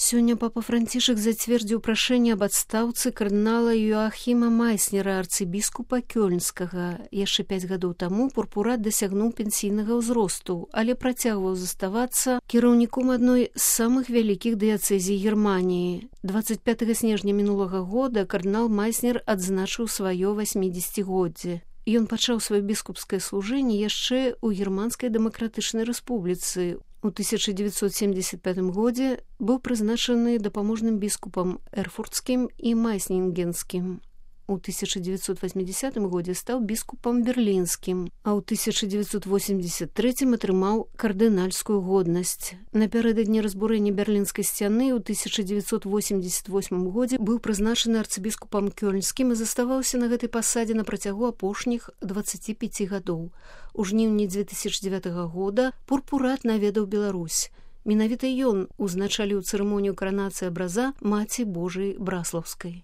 Сёння папа Францішак зацвердзіў прашэнне аб адстаўцы кардынала Йоахіма Майснера, арцыбіскупа Кёльнскага. Яшчэ 5 гадоў таму пурпурат дасягнуў пенсійнага ўзросту, але працягваў заставацца кіраўніком адной з самых вялікіх дыяцэзій Германіі. 25 снежня мінулага года кардынал Майснер адзначыў сваё 80-годдзе. Ён пачаў сваё біскупскае служэнне яшчэ ў Германскай дэмакратычнай рэспубліцы. У 1975 годзе быў прызначаны дапаможным біскупам эрфуртскім і майснінгенскім. У 1980 годзе стаў біскупам берлінскім, а ў 1983 атрымаў кардынальскую годнасць. Напярэдадні разбурэння берлінскай сцяны ў 1988 годзе быў прызначаны арцыбіскупам Кёльнскім і заставаўся на гэтай пасадзе на працягу апошніх 25 гадоў. У жніўні 2009 года пурпурат наведаў Беларусь. Менавіта ён узначаліў цырымонію каранацыі абраза Маці Божай Браслаўскай.